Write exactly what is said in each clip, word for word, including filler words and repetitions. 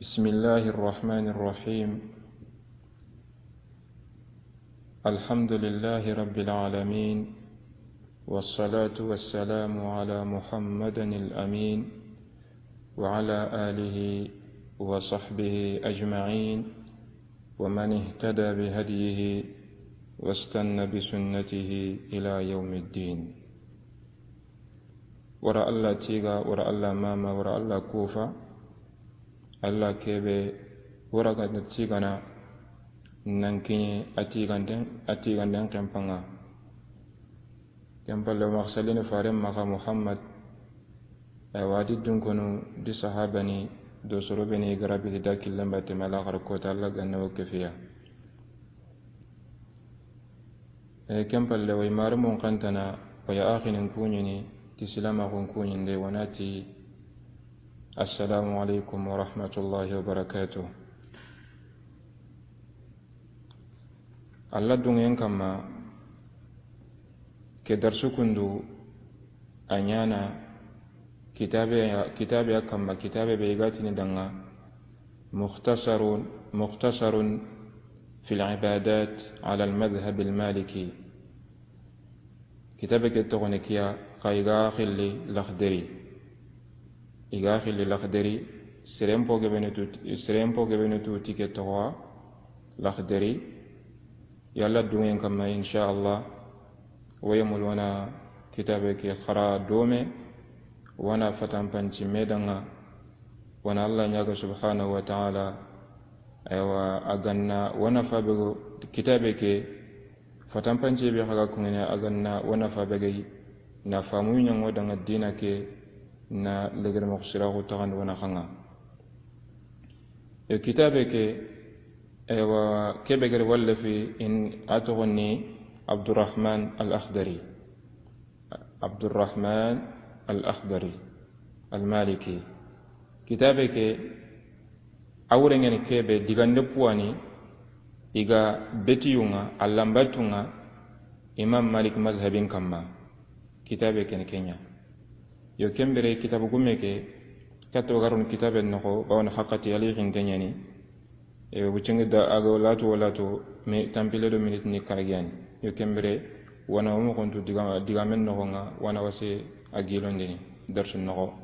بسم الله الرحمن الرحيم. الحمد لله رب العالمين، والصلاة والسلام على محمد الأمين وعلى آله وصحبه أجمعين، ومن اهتدى بهديه واستن بسنته إلى يوم الدين. Wara Alla tiga, wara Alla mama, wara Alla kufa. Alla kebe wara ga tigana nan kiɲe a tiganden, a tiganden kempa ŋa. Ken palle, maxa sallini faren maxa Muhammad, a wa di dunkonu di sahabani do soro be ni garabi da killen batte mala xar kota Alla ganna wo kefiya. E, ken palle, way marumun xantana, way axinin kuɲini ti silamaxun kuɲinde, wa na ti, Assalamu alaikum wa rahmatullahi wa barakatuh. Alla dungen kamma, ke darsu kundu a ɲana kitabe, kitabe a kamma, kitabe be i ga tini danŋa Mukhtasarun, Mukhtasarun fil Ibadat ala al-Madhhab al-Maliki. Kitabe ke toxo ni kiya, xa i ga xilli Laxdari. I ga xilli Laxdari, seren po gebenu tu, seren po gebenu tu ti ke toxo wa Laxdari. Yalla dungen kamma, insha Allah, wayemul wana kitabe ke xara dome, wana fatanpanci me danŋa, wana Alla ɲaga subhanahu wa ta'ala, aywa, a ganna wana fabe go kitabe ke, fatanpance be xa ga kuŋene a ganna wana fabe gayi, na famu ɲango danŋa dina ke, na legere moxo siraxu taxandi wana xanŋa. E kitabe ke, aywa, kebe gere wallafi in a toxo ni Abdurrahman al-Akhdari. Abdurrahman al-Akhdari al-Maliki. Kitabe ke, a wurengeni kebe digande puwani, i ga betiyunŋa, a lambatunŋa Imam Malik mazhabin kamma. Kitabe ken keɲa. Yo, ken bire kitabu gume ke, kato garun kitabe noxo, bawon haqqati ali xinte ɲani. E, wuccingi da a ga latu wo latu, mi tampile do minute ni karagiyani. Yo, ken bire, wana wo moxontu diga, digamen noxonŋa, wana wase a gilondini, darsu noxo.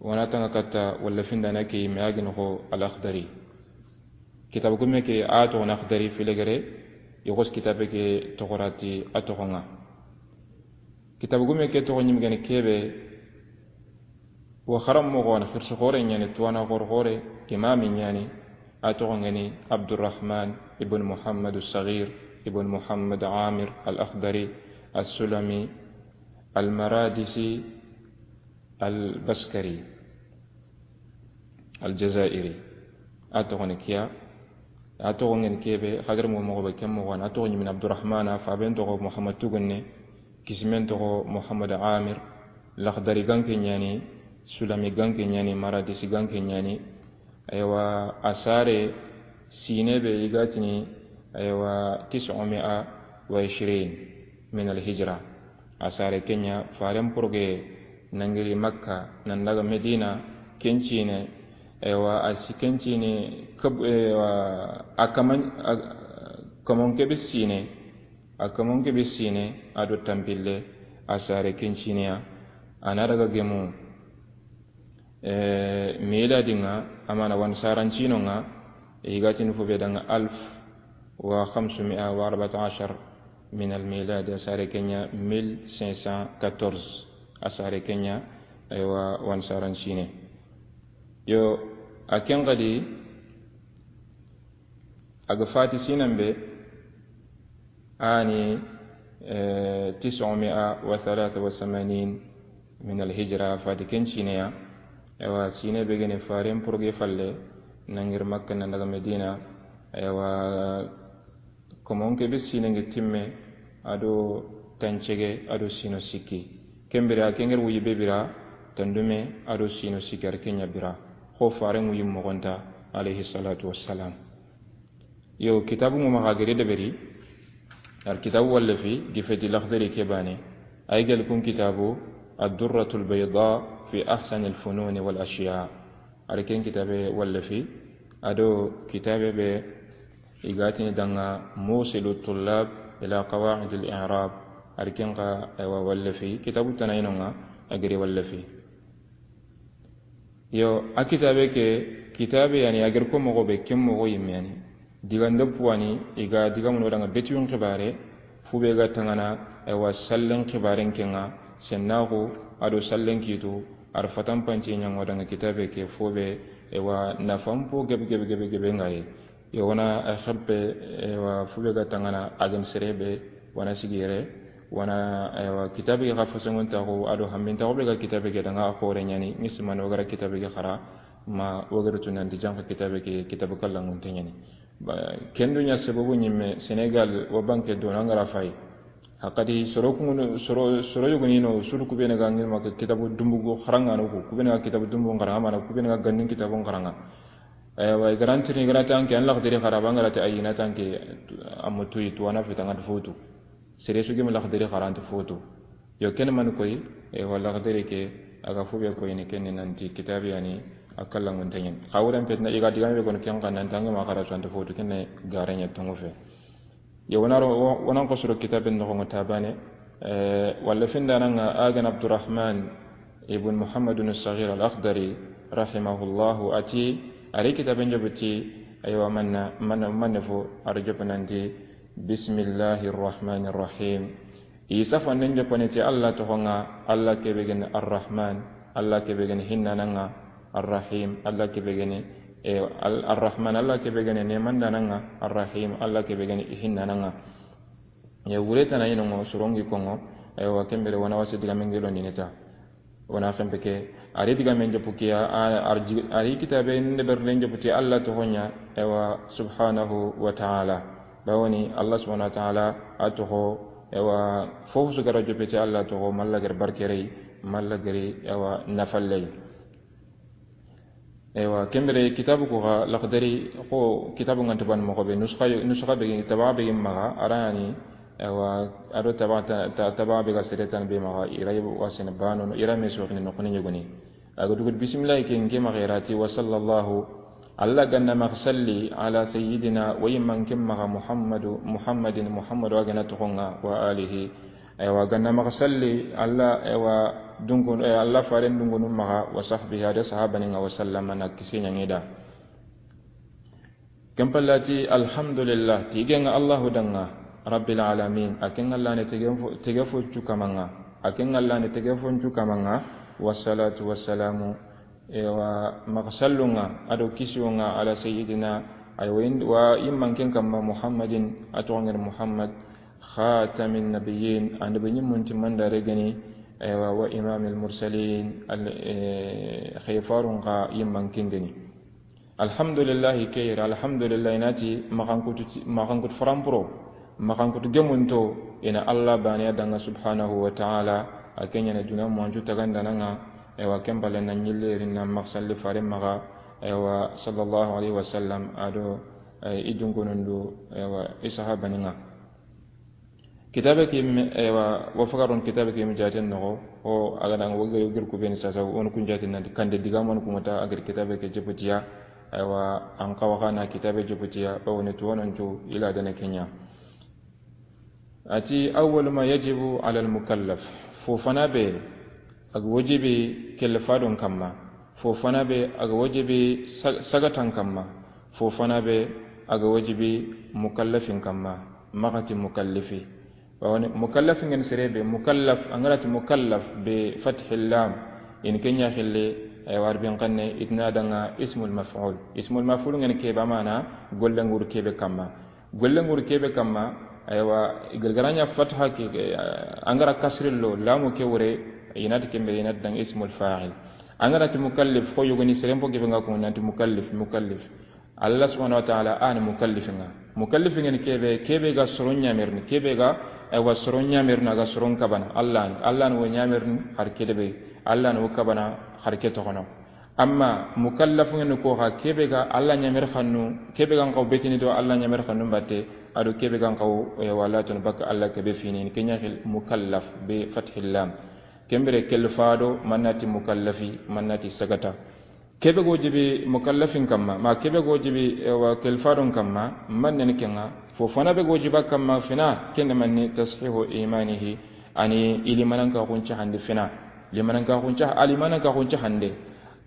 Wana tanga katta walla findana ke me a gi noxo Al-Akhdari. Kitabu gume ke a toxo ni Akhdari filegere, i xos kitabe ke toxorati a toxonŋa. Kitabu gume ke toxo ɲimgeni kebe, wa xaranmoxo wa ni xirsi xoore ɲani, tuwana xoore xoore, imami ɲani, a toxo ngeni Abdurrahman ibn Muhammad al-Saghir ibn Muhammad Amir al-Akhdari al-Sulami al-Maradisi al-Baskari al-Jazairi. A toxo ni kiya, a toxo ngeni kebe, xagar mo moxo be ken moxo wa ni, a toxo ɲimini Abdurrahmana, faben toxo Muhammad Tugunne, kisimen toxo Muhammad Amir, Laxdari ganke ɲani, Sulami ganke ɲani, Maradisi ganke ɲani. Aywa, a sare sine be i ga tini, aywa, tis'u mi'a wa ishrin min al-hijra. A sare keɲa faren poroge nangiri Makka nan daga Medina, kencine, aywa, a si kencine kab-, aywa, a kaman, a, kamon kebe sine, a kamon kebe sine, a do tampille, a sare kencineya, a na daga gemu, e, miladinŋa, amana wan sarancinonŋa, i ga tini fo be danŋa alf wa khamsumi'a wa arba'ata ashar min al-milad, a sare keɲa mille cinq cent quatorze, a sare keɲa, aywa, wan sarancine. Yo, a ken gadi, a ga fati sinan be, ani, e, tis'u mi'a wa thalatha wa thamanin min al-hijra, fati ken cineya. Ewa, sine be gene faren poroge falle, nangir Makka nan daga Medina. Ewa, komon ke be sine nge timme, a do tancege, a do sino sikki. Ken bire a kenger wuyi be bira, tandume, a do sino sikki, a ri kenya bira. Xo faren wuyi moxonta, alayhi salatu wassalam. Yo, kitabu ŋo maxa gere deberi, al kitabu wallafi, gifeti Laxdari ke bane, ay gel kun kitabu, Ad-Durratul Bayda fi Ahsanil Fununi wal Ashiya. A ri ken kitaabe wallafi, a do kitaabe be i ga tini danŋa Muusilu Tullaab ilaa Qawaa'idil I'raab, a ri ken xa, aywa, wallafi, kitaabu tana i no ŋa, a giri wallafi. Yo, a kitaabe ke, kitaabe ya ni, a giri ko moxo be, ken moxo yinme ya ni. Digan do puwani, i ga digamun ŋa danŋa betiyun xibaare, fu be ga tanŋana, aywa, sallen xibaaren ke ŋa, sennaaxu, a do sallen kiitu, a ri fatanpanci ɲaŋo danŋa kitaabe ke fo be, aywa, nafan po gebe, gebe, gebe, gebe ŋa yi. Yo, wa na a xeppe, aywa, fu be ga tanŋana, a ga ni sere be, wa na sigi yere, wa na, aywa, kitaabe ke xa fasonŋuntaaxu, a do hammintaaxu be ga kitaabe ke danŋa a xoore ɲa ni, ŋisimani o ga ra kitaabe ke xara, ma o ga ra tu nanti janxa kitaabe ke, kitaabu kallanŋunte ɲa ni. Ba, ken du ɲa sababu yinme, Senegal, wa banke do na ŋa ra fayi. Hakadi soro kunu, soro, soro yogoni no, suru ku be ni ga ŋi ma kitaabu dunbu go xaranŋa no ku, ku be ni ga kitaabu dunbu xaranŋa, mana ku be ni ga gannin kitaabu xaranŋa. Aywa, i ga ra ntini, i ga ra tanke, an Laxdari xara, ba ŋa ra ti ayi na tanke, a ma tuyi, tu wa na fita ŋa ti fo tu. Sere su gi ma Laxdari xara nti fo tu. Yo, ken mani koyi, e, wa Laxdari ke, a ga fu be koyini ken ni nanti kitaabe ya ni, a kallanŋunte ɲa ni. Xa wuren peti na i ga digaame be kono ken xa nanti an ga ma xara su a nta fo tu, ken ni gare ɲa tonŋu fe. Yo, wa na ro, wa, wa na n xosoro kitaabe noxon ŋa ta baane, e, wallafin da na ŋa a ga ni Abdurrahman ibn Muhammadun Saghir al-Akhdari, rahimahullahu, a ti, a ri kitaaben jopu ti, aywa, manna, manna, manne fo, a ri jopu nanti, Bismillahir Rahmanir Rahim. I safannen joppani ti Alla toxon ŋa, Alla ke be ga ni Arrahman, Alla ke be ga ni hinnananŋa, Arrahim, Alla ke be ga ni, e, Al-, Arrahman, Alla ke be ga ni nemandananŋa, Arrahim, Alla ke be ga ni hinnananŋa. E, wure tana i no ŋa, soron gi ko ŋa, aywa, ken bire wa na wasi digaamen gelo ni ne ta. Wa na xempe ke, a ri digaamen jopu ke ya, a, a ri ji-, a ri kitaabe nde berlen jopu ti Alla toxon ɲa, aywa, subhanahu wa ta'ala. Bawoni Alla subhanahu wa ta'ala a toxo, aywa, fofo su ga ra joppe ti Alla toxo, ma Alla ga ri barke rey, ma Alla ga ri, aywa, nafa ley. Aywa, ken bire kitaabu ku xa, Laxdari, xo kitaabu ŋa nta baane moxo be, nuskha, nuskha be, taba be maxa, a ra ni, aywa, a do taba, ta-, ta-, taba be ga sere tan be maxa, i ra yi wa sene baano, i ra me soxini noxoni ɲogoni. A ga dugu bisimilahi ke, n ke maxa i ra ti, wa sallallahu, Alla ga na maxa salli, ala sayyidina, wa yinman ke maxa Muhammadu, Muhammadin, Muhammadu a ga na toxon ŋa, wa alihi. Aywa, ga na maxa salli, Alla, aywa, dunko, e, Alla faaren dunkonu maxa, wa sahbihi, a do sahabanin ŋa, wa sallama, na kisi ɲaŋi i da. Ken palle a ti, alhamdulillah, tigen ŋa Allahu danŋa, rabbil alamin, a ken Alla ni tege fo, tege fo cu kaman ŋa, a ken Alla ni tege fo cu kaman ŋa, wassalatu wassalamu, ewa, maxa sallun ŋa, a do kisiwon ŋa, ala sayyidina, aywa, in-, wa yinman ken kamma Muhammadin, a toxon ŋa ni Muhammad, khatamin nabiyyin, annabi ɲimmun timmandaare ga ni, aywa, wa imamil mursalin, al-, e, xefarun xa yinman ken ga ni. Alhamdulillahi ke yere, alhamdulillahi na ti maxankutu ti, maxankutu farampuro, maxankutu gemunto, i na Alla baane ya danŋa subhanahu wa ta'ala, a ke ɲa ni duna mancu tagandanan ŋa, ewa, ken palle na ɲille ri na maxa salli faaren maxa, ewa, sallallahu alayhi wa sallam, a do, e, i dunkonun do, ewa, i sahabanin ŋa. Kitaabe ke yinme, ewa, wa fagaron kitaabe ke yinme jaaten noxo, o a ga na wo gir, wo gir ku be ni sasa, o na kun jaaten nanti kande digaamun ku ŋa ta a gir kitaabe ke jopu ti ya, ewa, an xawa xa na kitaabe jopu ti ya, o ni tuwanon cu i la dana ke ɲa. A ti, awwalu ma yajibu ala al mukallaf, fo fana be a ga wajibi kellifadon kamma, fo fana be a ga wajibi sa-, sagatan kamma, fo fana be a ga wajibi mukallafin kamma, maxa ti mukallifi. Bawoni mukallafin ŋa ni sere be, mukallaf, an ga ra ti mukallaf be fathil lam, i ni ke ɲa xille, aywa, arbin xanne, i ti na danŋa ismul maf'ul. Ismul maf'ul ŋa ni ke be, a mana gollen ŋa ri ke be kamma. Gollen ŋa ri ke be kamma, aywa, i ga ra ɲa fatha ke, ke, an ga ra kasri lo, lamu ke wure, i na ti ken be, i na ti danŋa ismul fa'il. An ga ra ti mukallif, xo yogoni seren po ke be ŋa ko nanti mukallif, mukallif. Alla subhanahu wa ta'ala a ni mukallifin ŋa. Mukallifin ŋa ni ke be, ke be ga soron ɲamerini, ke be ga, aywa, soron ɲamerini, a ga soron kabana. Alla ni, Alla ni wo ɲamerini, har ke de be, Alla ni wo kabana, har ke toxono. Amma mukallafun ŋa ni ko xa, ke be ga Alla ɲameri xannu, ke be ga n xaw betini do Alla ɲameri xannu batte, a do ke be ga n xaw, e, wala tun baka Alla ke be fini, ke ɲa xil mukallaf be fathil lam. Ken bire kellifado, manati mukallafi, manati sagata. Kebe ga wajibi mukallafin kamma, ma kebe ga wajibi, ewa, kelfadon kamma, man ne ni kenga, fo fana be ga wajiba kamma fina, kende manni tashihu imanihi, ani ilimananka kunci hande fina. Limananka kunci, alimananka kunci hande.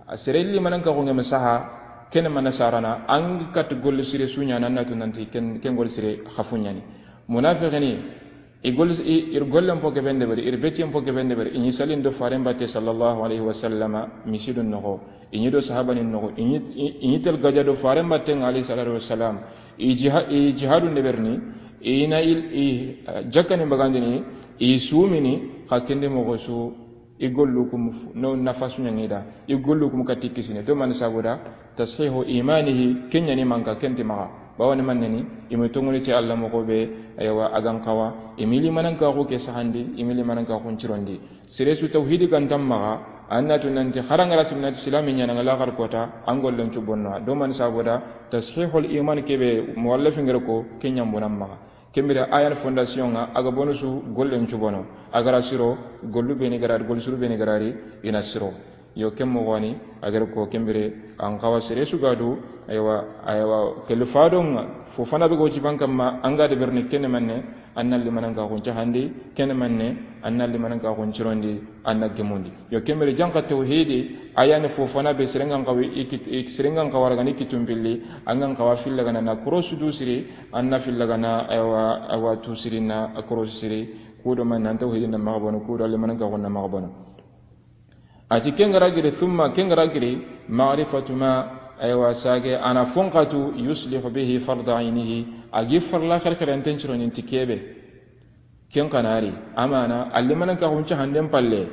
A sere limananka kunge masaha, kene mana sarana, an kat golle sire sunya nan natu nanti ken, ken golle sire khafunyani. Munafiqini, I gol-, i, ir gollen po ke bende bari, ir betiyen po ke bende bari, i ɲi salin do faren batte sallallahu alaihi wa sallama, misidun noxo. I ɲi do sahabanin noxo, i ɲi, i, i ɲi tel gaja do faren batten alaihi salatu wa salam. I jiha-, i jihadun de berni, i na il, i, eh, jakkani bagandini, i sumini, xa kende moxo su, i gollu kum f-, no nafasu ɲangida, i gollu kum katti kisine. To man sabuda, tashihu imanihi, kenyani manka kenti maxa. Bawani mannani, imi tongoni ti Allah moxo be, aywa, agan xawa, imi limananka xu ke sahandi, imi limananka xu ncirondi. Sere su tawhidi gantan maxa, annatu nanti xarangara simnati silami ɲana ngala xar kota, an gollen cu bonno. Do man sabuda, tashihul iman kebe, muwallafin gere ko, kenyan bonan maxa. Kembira ayan fondation nga, aga bonu su gollen cu bono. Agara siro, gollu beni garari, gol suru beni garari, ina siro. Yo ken moxoni, agara ko kembire, an xawa sere su gadu, aywa, aywa, kelfadon nga, fo fana be ga wajiban kamma, an ga de berni kene manne, an na limananka xun cahandi, kene manne, an na limananka xun cirondi, an na gemundi. Yo kembire janka tawhidi, ayani fo fana be serengan xawi, iki, iki serengan xawara gani kitum pilli, angan xawa filla gana na cross du siri, an na filla gana, aywa, aywa, tu siri na cross siri, kudo man nan tawhidi na maxa bono, kudo limananka xun na maxa bono. Ati kengara giri, thumma kengara giri, ma'rifatu ma, aywa, sage, ana fonkatu, yuslihu bihi farda ainihi, agi farla xerxerenten cironin ti kebe. Ken kanari, amana, allimananka xun cahanden palle,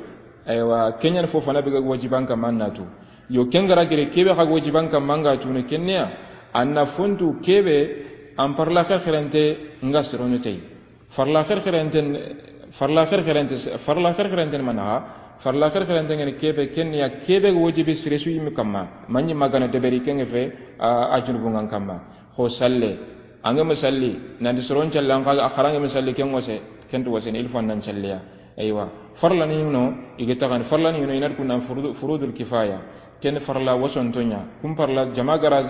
aywa, kenyan fo fana be ga wajiban kamma natu. Yo kengara giri, kebe xa ga wajiban kamma nga tunu kenneya, anna fontu kebe, an farla xerxerente nga sironi tey. Farla xerxerenten, farla xerxerente, farla xerxerenten manaxa, farla xerxerenten ngene kebe, ken ya kebe wajibi sire su yimi kamma, manyi magana deberi kenge fe, a, a junubungan kamma. Xo salle, ange masalli, nanti soron calle, an xaga, a xarange masalli, ken wase, ken tu wase, il faut nan calleya. Aywa, farla ni no, ige taxan, farla ni no, inat kunan furudu-, furudul kifaya. Ken farla wasonto ɲa, kun farla jama gara,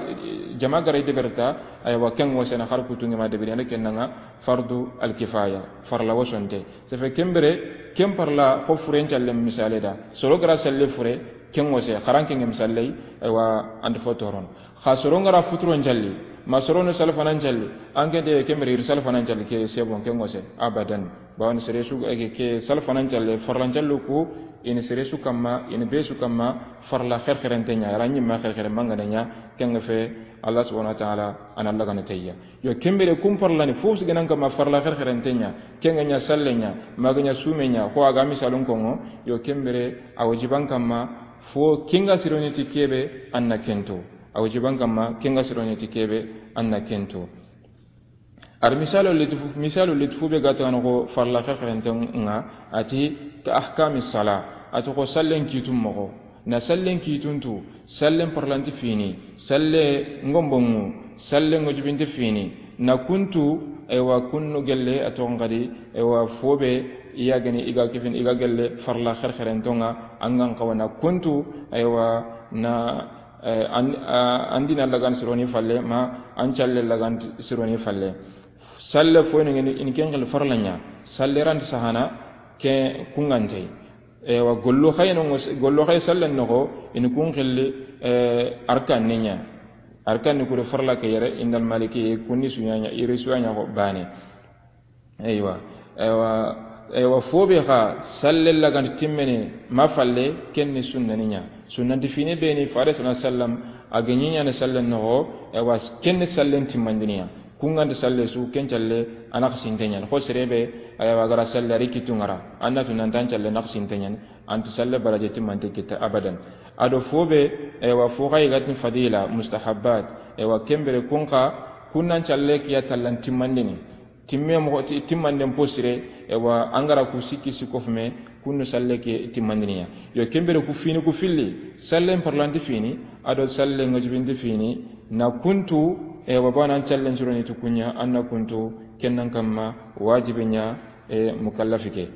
jama gara i deberta, aywa, ken wasena xar kutungi ma deberi, anda ken nanga fardu al kifaya, farla wasonte. Sefe kembere, ken farla xo furen calle misale da. Soro gara salle fure, ken wase, xaran ken misale, aywa, andi fotoron. Xa soro ngara futuron calli, ma soro no salfanan calli, an ken te kembere ir salfanan calli, ke sebon, ken wase, abadan. Bawani sere su, eh, ke, ke salfanan calle, farlan callu ku, ini sere su kamma, ini be su kamma, farla xerxerente ɲa, ara ɲimma xerxere mangana ɲa, kenga fe, Allah subhanahu wa ta'ala, ana lagana tayya. Yo kembere kun farlani, fo su genan kamma farla xerxerente ɲa, kenga ɲa salle ɲa, maga ɲa sume ɲa, ko aga misalun kongo, yo kembere, a wajiban kamma, fo kenga sironi ti kebe, anna kento. A wajiban kamma, kenga sironi ti kebe, anna kento. Ar misalu litifu, misalu litifu be gata no ko farla xerxerenten nga, ati ka ahkami sala, ati ko sallen kitum moxo, na sallen kituntu, sallen parlanti fini, salle ngombongu, salle ngojubinte fini, na kuntu, ewa kunnu gelle a toxon xadi, ewa fobe, iya gani iga kifin, iga gelle farla xerxerentonga, angan xawa na kuntu, ewa na Eh, an, a, an dina lagan sironi falle, ma an calle lagan sironi falle. Salle fo ni ngeni in ken xil farlanya. Salle ran sahana ke kungante. Ewa gollu xayno ngos-, gollu xay salle noxo in kun xilli, eh, arkan ninya. Arkan ni kuri farla ke yere indal maliki kunni suyanya, iri suyanya ko bane. Eywa, eywa, eywa, fobe xa salle laganti timmene ma falle, kenni sunnani ɲa. Sunnanti fine beni fare sallallahu alaihi wasallam a ga ɲiɲane salle noxo, eywa, kenni sallen timmandiniya. Kunganta salle su, ken calle, a nax sinte ɲan. Xo serebe, eywa, gara salle a ri kitu ngara. Annatu nantan calle nax sinte ɲan. Anti salle baraje timmante kita abadan. Ado fobe, eywa, fo xa yigatin fadila, mustahabbat. Eywa, kembere kun xa, kunnan calle kiya tallan timmandini. Timme moxo ti-, timmanden posire, ewa, angara ku sikki sikko fume, kunnu salle ke timmandiniya. Yo, kembere ku fini ku filli, sallen parlanti fini, ado sallen ngajibinti fini, na kuntu, ewa, bana an callen curoni tu kunya, anna kuntu, kennan kamma, wajibinya, e, mukallafi ke.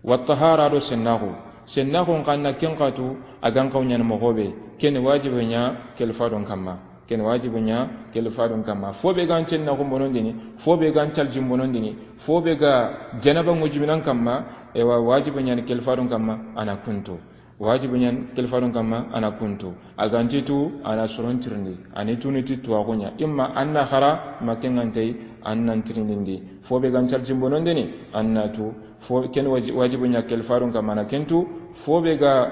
Wa tahara do sennaxu. Sennaxun xa na ken xa tu, a ga n xawa ɲaana moxo be, ken wajibi ɲa kelifadon kamma. Ken wajibi ɲa kelifadon kamma. Fo be ga n sennaxun bonondini, fo be ga n caljin bonondini, fo be ga janaba ŋujuminan kamma, ewa wajibi ɲa ni kelifadon kamma, a na kun tu. Wajibi ɲa ni kelifadon kamma, a na kun tu. A ga nti tu, a na soron tirindi. A ni tu ni ti tuwaxu ɲa. Imma an na xara, ma ken ŋa nta yi, an na tirindindi. Fo be ga n caljin bonondini, an na tu. Fo ken waji-, wajibi ɲa kelifadon kamma, a na ken tu. Fo be ga,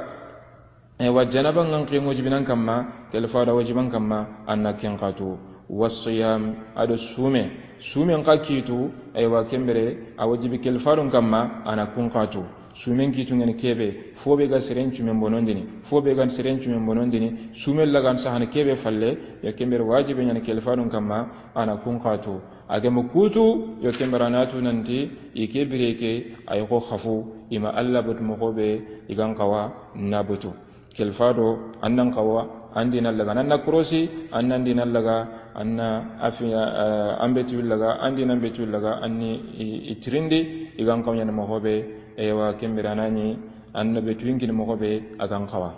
ewa, janaba ŋa n xi ŋujuminan kamma, kelifado wajiban kamma, a na ken xa tu. Wasiyam, a do sume. Sumen xa kitu, ewa, ken bire, a wajibi kelifadon kamma, a na kun xa tu. Sumen kitu ŋa ni ke be, fo be ga seren cumen bonondini, fo be ga seren cumen bonondini, sumen lagan sahana ke be falle, ya ken bire wajibi ɲa ni kelifadon kamma, a na kun xa tu. A ga ma kutu, yo ken bire a na tu nanti, i ke bire ke, ay xo xafu, i ma Alla batu moxo be, i ga n xawa na batu. Kelifado, an na n xawa, an di na laga, an na korosi, an na di na laga, an na afi, eh, an betu laga, an di na betu laga, an ni i, i tirindi, i ga n xawa ɲaana moxo be, ewa, ken bire a na ɲi, an na betu yin kini moxo be, a ga n xawa.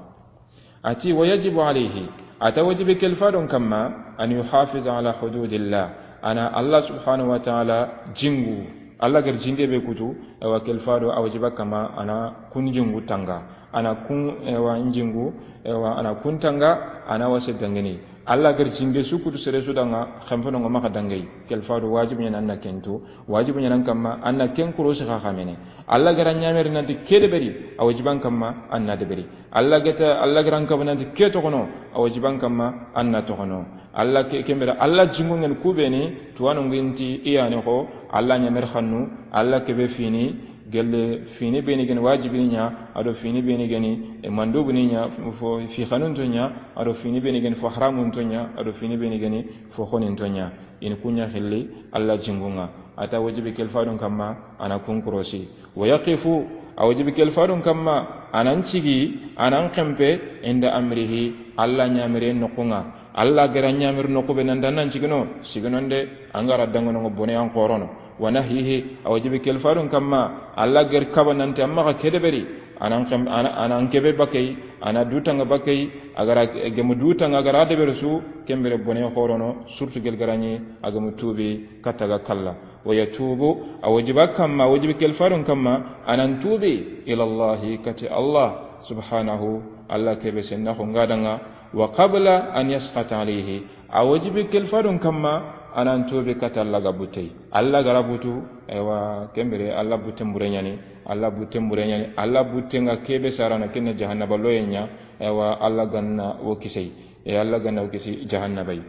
A ti, wa yajibu alayhi, a ta wajibi kelifadon kamma, an yuhafiza ala hududillah, a na Alla subhanahu wa ta'ala jingu, Alla ga ri jinge be kutu, ewa kelifado a wajiba kamma, a na kun jingu tanga, a na kun, ewa, jingu, ewa, a na kun tanga, a na wase dangini. Alla ga ri jinge su kutu sere su danŋa, xenpeno ŋa maxa dangi. Kelifado wajibi ɲa ni an na ken tu, wajibi ɲa ni an kamma, an na ken korosi xa xamene. Alla ga ra ɲameri nanti ke deberi, a wajiban kamma, an na deberi. Alla ga ta, Alla ga ra n kaba nanti ke toxono, a wajiban kamma, an na toxono. Alla ke, ken bire, Alla jingu ŋa ni ku be ni, tuwanu ŋa nti i ya ni xo, Alla ɲameri xannu, Alla ke be fini, gelle fini be ni ga ni wajibi ɲa, a do fini be ni ga ni, e, mandubu ni ɲa, fo, fi xanun to ɲa, a do fini be ni ga ni fo haramun to ɲa, a do fini be ni ga ni fo xonin to ɲa. I ni ku ɲa xilli Alla jingu ŋa. A ta wajibi kelifadon kamma, a na kun korosi. Wa yaqifu, a wajibi kelifadon kamma, a na n cigi, a na n xenpe, inda amrihi, Alla ɲamere noxu ŋa. Alla ga ra ɲameri noxu be nanti an na n cigino, siginon de, an ga ra dangano ŋa bone an xorono. Wa nahyihi, a wajibi kelifadon kamma, Alla ga ri kaba nanti an maxa ke deberi, a na n xem-, a na, a na n kebe bakay, a na dutanga bakay, a ga ra gemu dutanga a ga ra deberi su, ken bire bone xorono, surtout gel ga ra ɲi, a gemu tubi, katta ga kalla. Wa yatubu, a wajiba kamma, a wajibi kelifadon kamma, a na n tubi, ila Allahi, kati Alla, subhanahu, Alla ke be sennaxu ŋa danŋa, wa qabla an yasqata alayhi, a wajibi kelifadon kamma, a na n tubi katta Alla ga butte. Alla ga ra butu, ewa, ken bire, Alla butten bure ɲa ni, Alla butten bure ɲa ni, Alla butten ŋa ke be sarana ken na jahannaba loye ɲa, ewa, Alla ga na wo kisi, e Alla ga na wo kisi jahannaba yi.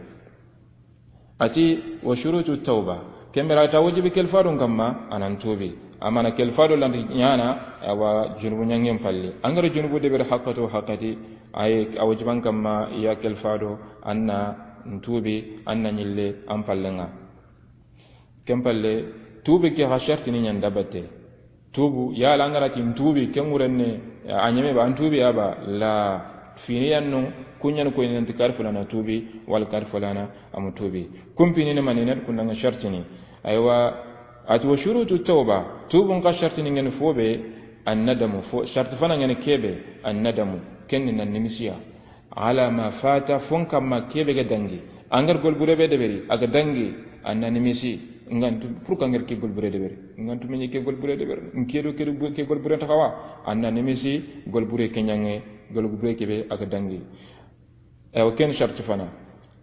A ti, wa shurutu tawba. Ken bire a ta wajibi kelifadon kamma, a na n tubi. Amana kelifado lanti ɲaana, awa junubu ɲangen palle. An ga ra junubu deberi haqqatu haqqati, ay, a wajiban kamma, ya kelifado, an na n tubi, an na ɲille, an palle ŋa. Ken palle, tubi ke xa shartini ɲa n da batte. Tubu, yala an ga ra ti n tubi, ken ŋuren ne, a ɲeme ba, an tubi ya ba, la, fini yan no, ku ɲa ni ko nanti kari fulana tubi, wala kari fulana a mu tubi. Kun pini ne mani ne, kun na ŋa shartini. Aywa, a ti wa shurutu tawba, tubun xa shartini ŋa ni fo be, an nadamu, fo, sharti fana ŋa ni ke be, an nadamu, ken ni na nimisiya. Ala ma fata, fon kamma ke be ga dangi. An ga ra golbure be deberi, a ga dangi, an na nimisi. Ŋa n tu, pour que an ga ra ke golbure deberi. Ŋa n tu me ɲi ke golbure deberi. N ke do ke do ke golbure ta xawa. An na nimisi, golbure ke ɲange, golbure ke be a ga dangi. Ewa ken sharti fana.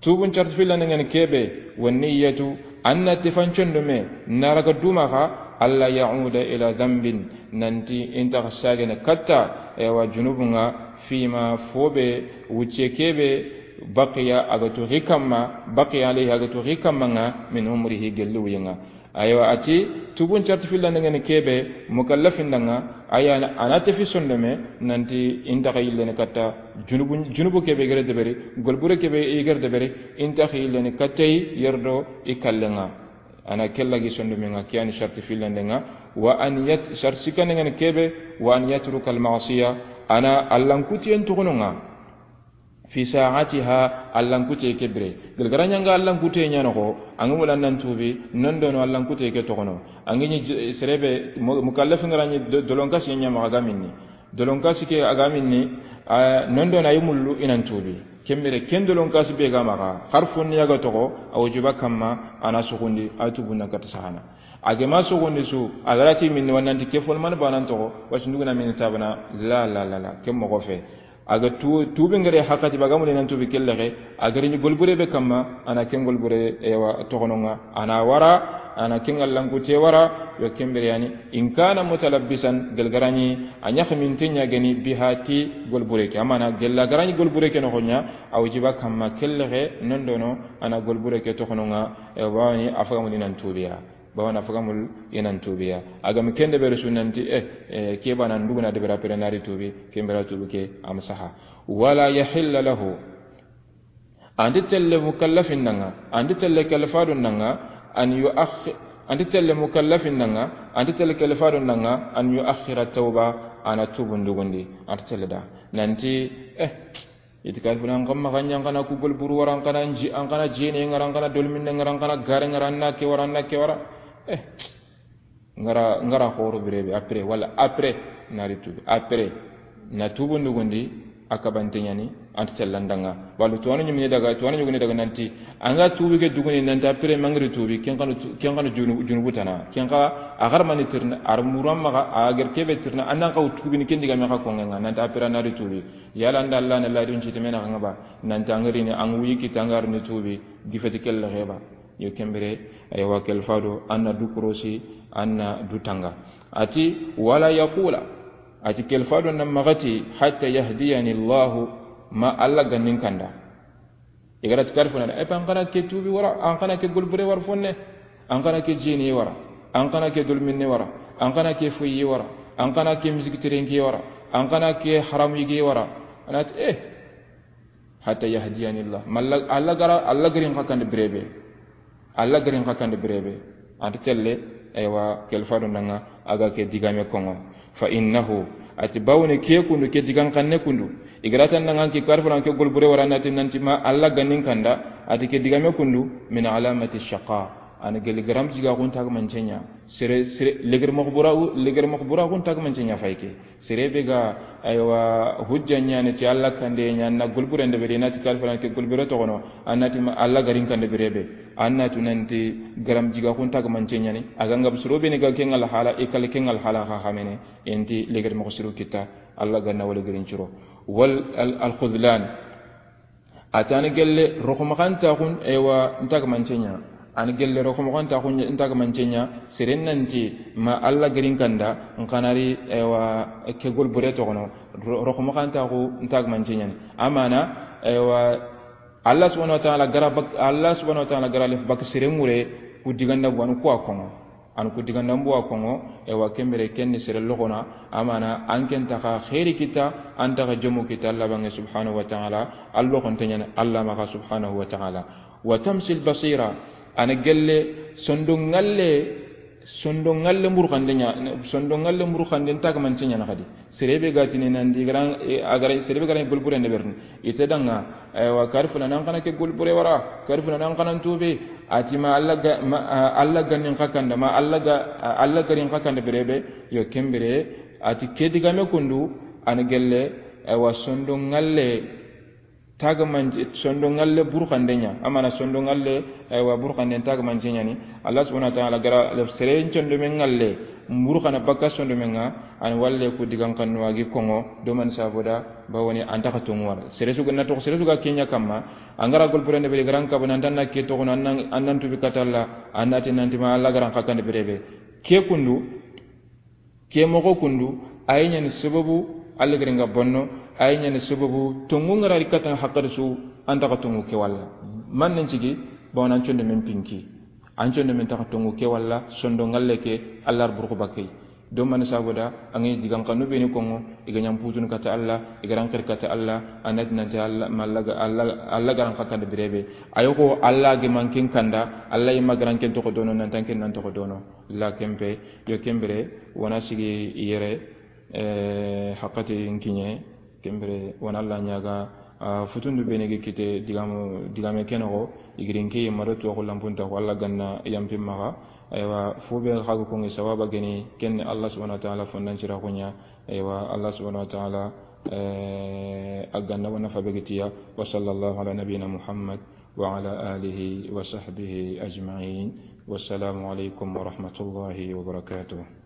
Tubun sharti filande ŋa ni ke be, wa niyatu, an na ti fan condomme, na raga duma xa, alla ya'uda ila dhanbin, nanti i nta xa sagene katta, ewa, junubun ŋa, fima fo be, wucce ke be, baqiya, a ga tu xi kamma, baqiya alayhi, a ga tu xi kamma ŋa, min umrihi, gelli wuyen ŋa. Aywa, a ti, tubun sharti filande ŋa ni ke be, mukallafin da ŋa, aya, a na tefi sondome, nanti i nta xa yillene katta, junubu, junubu ke be i ga ra deberi, golbure ke be i ga ra deberi, i nta xa yillene katta yi, yerdo i kallen ŋa. A na ke lagi sondomen ŋa, ke ya ni sharti filande ŋa, wa an yat-, sharti sikkande ŋa ni ke be, wa an yatruka al ma'siya, a na allan kutiyen tuxunu ŋa. Fi sa'atiha, allan kute ke bire. Gilgara ɲanga allan kute ɲa noxo, an ga wala nan tubi, non dono allan kute ke toxono. An ga ɲi j-, sere be, mu-, mukallafin ga ra ɲi do-, dolon kasi ɲa maxa ga minni. Dolonkaasi ke a ga minni, a, nondo na yi mullu i nan tuubi. Ken bire ken dolonkaasi be ga maxa, harfun ya ga toxo, a wujuba kamma, a na suxundi, a tuubun na kata sahana. A ga ma suxundi su, a ga ra ti minni wannanti ke fol man banan toxo, wasi nduguna minni tabana, la, la, la, la, ke moxo fe. A ga tu-, tuubi ngare hakati ba ga mulli nan tuubi kellexe, a ga ri ni golbure be kamma, a na ken golbure, ewa, toxononga, a na wara, a na ken allanku te wara, yo ken bire yani, in kana mutalabbisan, gelgarani, a ɲaxaminte ɲa geni biha ti golbure ke. Amana gella garani golbure ke noxo ɲa, a wujuba kamma kellexe nondono, a na golbure ke toxononga, e, bawani a faga mulli nan tuubiya. Bawani a faga mulli nan tuubiya. A ga mi ken deberi su nanti, e, e, ke bana nduguna debera pere na ri tuubi, ken bira tuubi ke am saha. Wala yahilla lahu. Anti telle mukallafin nanga, anti telle kalfadun nanga, an yu'akhir, anti telle mukallafin nanga, anti telle kalfadun nanga, an yu'akhira tawba, a na tuubun dugundi, anti telle da. Nanti, eh, iti kalfuna an kamma xanɲa, an kana ku golburu wara, an kana nji-, an kana jene ngara, an kana dolminne ngara, an kana gare ngara, an na ke wara, an na ke wara. Eh, ngara, ngara xoro birebe, après, wala après, na ri tuubi, après, na tuubun dugundi, a kabante ɲani, anti tellandanga. Wala tuwanu ɲimini daga, tuwanu ɲuguni daga nanti, an ga tuubi ke duguni nanti, après, mangiri tuubi, ken kanu tu-, ken kanu junu-, junubu tana, ken ka, a garmani tirna, ar muran maxa, a ger kebe tirna, an nan kaw tuubi ni ken diga me xa kongenga, nanti, après, na ri tuubi. Yala nda Allah na ladun ci temena xanga ba, nanti, an gari ni, an wuyi ki tangar ni tuubi, gifeti kelle xeba. Yo ken bire, aywa, kalfado, an na du korosi, an na du tanga. Ati, wala yaqula. Ati, kalfado na maxa ti, hatta yahdiyani Allahu, ma Allah gannin kanda. I ga ra ti kalfuna, e pa an kana ke tuubi wara, an kana ke golbure wara fonne, an kana ke jeni wara, an kana ke dolminne wara, an kana ke foyi wara, an kana ke misiki terenki wara, an kana ke haramu yige wara. Anati, eh, hatta yahdiyani Allah. Malla Allah gara, Allah garin xa kande birebe. Allah garin xa kande birebe. Anti telle, aywa, kalfado nanga, a ga ke digame kongo. Fa innahu, ati bawni ke kundu, ke digan xanne kundu. I ga ra tan nanga ki kalfuna ke golbure wara nati nanti ma Allah gannin kanda, ati ke digame kundu, min alamati shaqa. An geli garam jiga kun tagmancenya. Sere, sere, leger makhbura, leger makhbura kun tagmancenya fayke. Sere be ga, aywa, hujja ɲaana ti Allah kande ɲaana golbure nde bere, na ti kalfana ke golbure toxono, an na ti ma Allah garin kande bere be. An na tu nanti garam jiga kun tagmance ɲani. A ga ngab suro be ni ga kengal hala, i kal kengal hala xa xamene. Enti leger mo suro kita, Allah ganna wala garin curo. Wal al-, al-khudlan. A ti an gelle roxomaxantaxun, ewa, ntagamancenya. An gelle roxomaxantaxun ntagamancenya. Seren nanti ma Allah garin kanda, nkanari, ewa, ke golbure toxono, ro-, roxomaxantaxu ntagamancenya. Amana, ewa, Allah subhanahu wa ta'ala gara bak-, Allah subhanahu wa ta'ala gara lef bak seren ŋure ku diganda bu an ku a kongo. An ku digandambu wa kongo, ewa, ken bire ken ni sere loxona, amana an ken taxa xeeri kita, an taxa jomu kita Allah bange subhanahu wa ta'ala, Allah xonte ɲani Allah maxa subhanahu wa ta'ala. Wa tamsil basira, an gelle sondo ngalle, sondo ngalle mburxande ɲa, sondo ngalle mburxande ntagmance ɲana xadi. Sere be ga tini nan di garan, e, a garan, sere be garan golbure nde berni. Ite danga, ewa, kari fula nan kana ke golbure wara, kari fula nan kana tuube. A ti ma Allah ga, ma, a, Allah ganin xa kanda, ma Allah ga, a, Allah garin xa kanda bere be, yo ken bire, a ti ke digame kundu, an gelle, ewa, sondo ngalle, tagmance, sondo ngalle burxande ɲa, amana sondo ngalle, aywa, burxande tagmance ɲani. Allah subhanahu wa ta'ala gara le sere sondo men ngalle, burxana baka sondo men nga, an walle ku digan kanu agi kongo, do man saboda, bawoni an taxa tongu wara. Sere su ga na to, sere su ga kenya kamma, an gara golbure nde bere garan kabana, an tanna ke toxono, an nan, an nan tubi katalla, an nati nanti ma Allah garan xa kanda bere be. Ke kundu, Ke moxo kundu, a yi ɲani sababu, Allah gari nga bonno, a yi ɲani sababu, tongu ngara ri katan hakkar su, an taxa tongu ke walla. Man nan cigi, bawon an condo men pinki. An condo men taxa tongu ke walla, sondo ngalle ke, Allah ar burxu bakay. Do man saboda, an ga digan kanu be ni kongo, i ga ɲam putun kata Allah, i garan xir kata Allah, anat nanti Allah, ma Allah ga, Allah, Allah garan xa kanda birebe. Ayo ko Allah ge man ken kanda, Allah yi ma garan ken toxo dono, nan tan ken nan toxo dono. La kempe, yo kembere, wana sigi yere, eh, hakati nkinye, kembere, wana la nyaga, ah, futundu bene ge kite digamu, digame kenogo, igirinke maro to ko lampunta ko Allah ganna yampi maga. Aywa, fu be xa ga konŋi sawaba geni, ken ni Allah subhanahu wa ta'ala fondan cira kunya. Aywa, Allah subhanahu wa ta'ala, eh, a ga na wa nafa be gitiya. Wa sallallahu ala nabiyyina Muhammad wa ala alihi wa sahbihi ajma'in. Wassalamu alaikum wa rahmatullahi wa barakatuh.